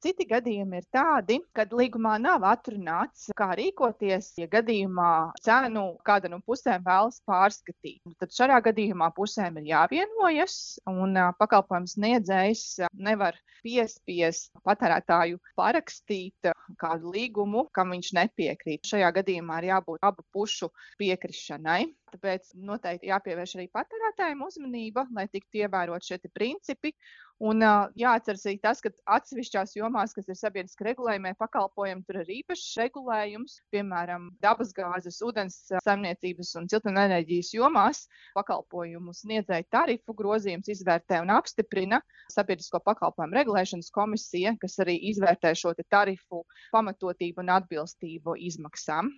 Citi gadījumi ir tādi, kad līgumā nav atrunāts, kā rīkoties, ja gadījumā cenu kāda no pusēm vēlas pārskatīt. Tad šajā gadījumā pusēm ir jāvienojas, un pakalpojums sniedzējs nevar piespiest patērētāju parakstīt kādu līgumu, kam viņš nepiekrīt. Šajā gadījumā ir jābūt abu pušu piekrišanai. Tāpēc noteikti jāpievērš arī patērētājiem uzmanība, lai tiktu ievērot šie principi. Un jāatceras arī tas, ka atsevišķās jomās, kas ir sabiedriski regulējumie pakalpojumi, tur ir īpašs regulējums, piemēram, dabasgāzes, ūdens saimniecības un siltumenerģijas jomās pakalpojumu sniedzēju tarifu grozījums izvērtē un apstiprina Sabiedrisko pakalpojumu regulēšanas komisija, kas arī izvērtē šo tarifu pamatotību un atbilstību izmaksām.